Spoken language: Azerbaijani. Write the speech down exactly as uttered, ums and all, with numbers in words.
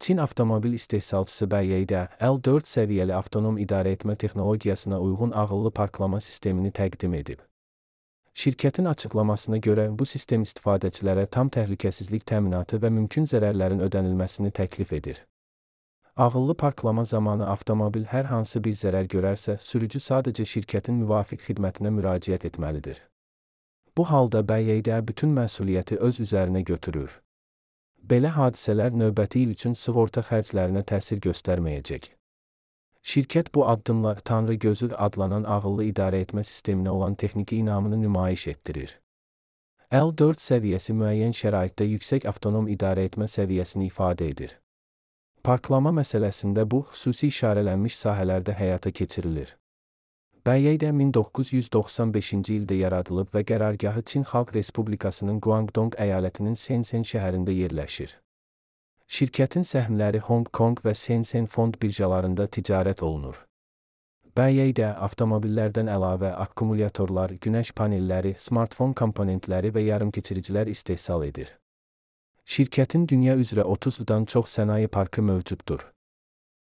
Çin avtomobil istehsalçısı B Y D, L dörd səviyyəli avtonom idarəetmə texnologiyasına uyğun ağıllı parklama sistemini təqdim edib. Şirkətin açıqlamasına görə bu sistem istifadəçilərə tam təhlükəsizlik təminatı və mümkün zərərlərin ödənilməsini təklif edir. Ağıllı parklama zamanı avtomobil hər hansı bir zərər görərsə, sürücü sadəcə şirkətin müvafiq xidmətinə müraciət etməlidir. Bu halda B Y D bütün məsuliyyəti öz üzərinə götürür. Belə hadisələr növbəti il üçün sığorta xərclərinə təsir göstərməyəcək. Şirkət bu addımla Tanrı gözü adlanan ağıllı idarəetmə sisteminə olan texniki inamını nümayiş etdirir. L dörd səviyyəsi müəyyən şəraitdə yüksək avtonom idarəetmə səviyyəsini ifadə edir. Parklama məsələsində bu, xüsusi işarələnmiş sahələrdə həyata keçirilir. B Y D min doqquz yüz doxsan beşinci ildə yaradılıb və qərargahı Çin Xalq Respublikasının Guangdong əyalətinin Shenzhen şəhərində yerləşir. Şirkətin səhmləri Hong Kong və Shenzhen fond birjalarında ticarət olunur. B Y D avtomobillərdən əlavə akkumulyatorlar, günəş panelləri, smartfon komponentləri və yarımkeçiricilər istehsal edir. Şirkətin dünya üzrə otuzdan çox sənaye parkı mövcuddur.